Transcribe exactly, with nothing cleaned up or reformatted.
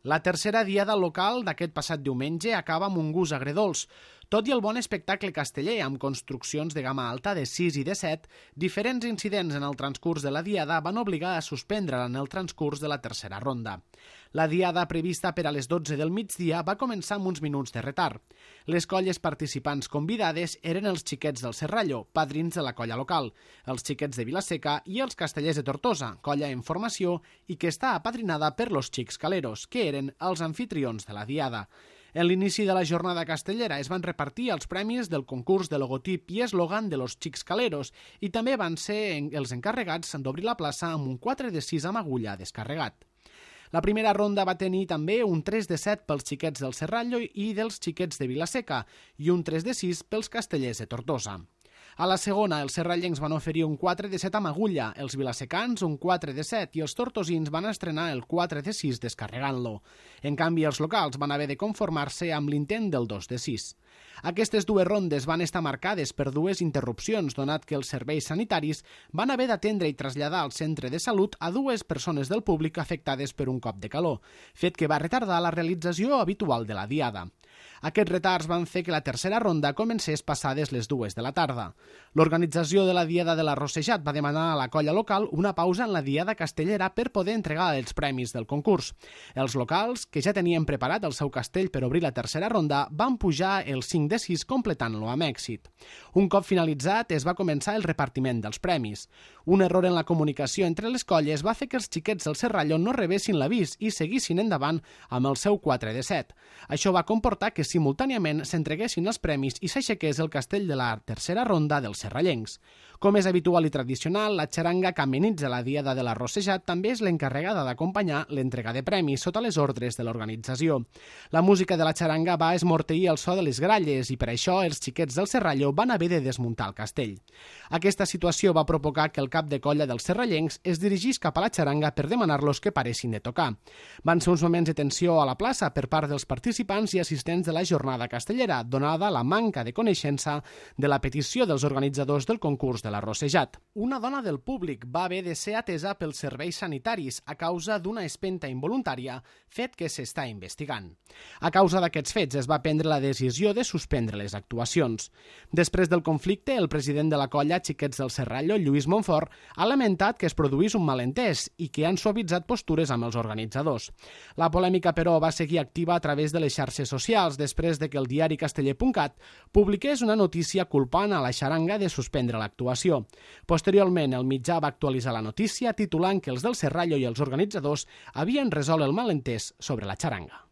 La tercera diada local d'aquest passat diumenge acaba amb un gust agredolç. Tot i el bon espectacle casteller, amb construccions de gamma alta de sis i de set, diferents incidents en el transcurs de la diada van obligar a suspendre-la en el transcurs de la tercera ronda. La diada prevista per a les dotze del migdia va començar amb uns minuts de retard. Les colles participants convidades eren els xiquets del Serrallo, padrins de la colla local, els xiquets de Vilaseca i els castellers de Tortosa, colla en formació i que està apadrinada per los Xics Caleros, que eren els anfitrions de la diada. En l'inici de la jornada castellera es van repartir els premis del concurs de logotip i eslògan de los Xics Caleros i també van ser els encarregats d'obrir la plaça amb un quatre de sis amb agulla descarregat. La primera ronda va tenir també un tres de set pels xiquets del Serrallo i dels xiquets de Vilaseca i un tres de sis pels castellers de Tortosa. A la segona, els serrallencs van oferir un quatre de set amb agulla, els vilasecans un quatre de set i els tortosins van estrenar el quatre de sis descarregant-lo. En canvi, els locals van haver de conformar-se amb l'intent del dos de sis. Aquestes dues rondes van estar marcades per dues interrupcions, donat que els serveis sanitaris van haver d'atendre i traslladar al centre de salut a dues persones del públic afectades per un cop de calor, fet que va retardar la realització habitual de la diada. Aquests retards van fer que la tercera ronda comencés passades les dues de la tarda. L'organització de la Diada de l'Arrossejat va demanar a la colla local una pausa en la Diada castellera per poder entregar els premis del concurs. Els locals, que ja tenien preparat el seu castell per obrir la tercera ronda, van pujar el cinc de sis completant-lo amb èxit. Un cop finalitzat, es va començar el repartiment dels premis. Un error en la comunicació entre les colles va fer que els xiquets del Serrallo no rebessin l'avís i seguissin endavant amb el seu quatre de set. Això va comportar que simultàniament s'entreguessin els premis i s'aixequés el castell de la tercera ronda dels serrallencs. Com és habitual i tradicional, la xaranga que amenitza la Diada de l'Arrossejat també és l'encarregada d'acompanyar l'entrega de premis sota les ordres de l'organització. La música de la xaranga va esmorteir el so de les gralles i per això els xiquets del Serrallo van haver de desmuntar el castell. Aquesta situació va provocar que el cap de colla dels serrallencs es dirigís cap a la xaranga per demanar-los que paressin de tocar. Van ser uns moments de tensió a la plaça per part dels participants i assistents de la jornada castellera, donada la manca de coneixença de la petició dels organitzadors del concurs de l'Arrossejat. Una dona del públic va haver de ser atesa pels serveis sanitaris a causa d'una espenta involuntària, fet que s'està investigant. A causa d'aquests fets es va prendre la decisió de suspendre les actuacions. Després del conflicte, el president de la colla Xiquets del Serrallo, Lluís Montfort, ha lamentat que es produís un malentès i que han suavitzat postures amb els organitzadors. La polèmica, però, va seguir activa a través de les xarxes socials després de que el diari casteller punt cat publiqués una notícia culpant a la xaranga de suspendre l'actuació. Posteriorment, el mitjà va actualitzar la notícia titulant que els del Serrallo i els organitzadors havien resolt el malentès sobre la xaranga.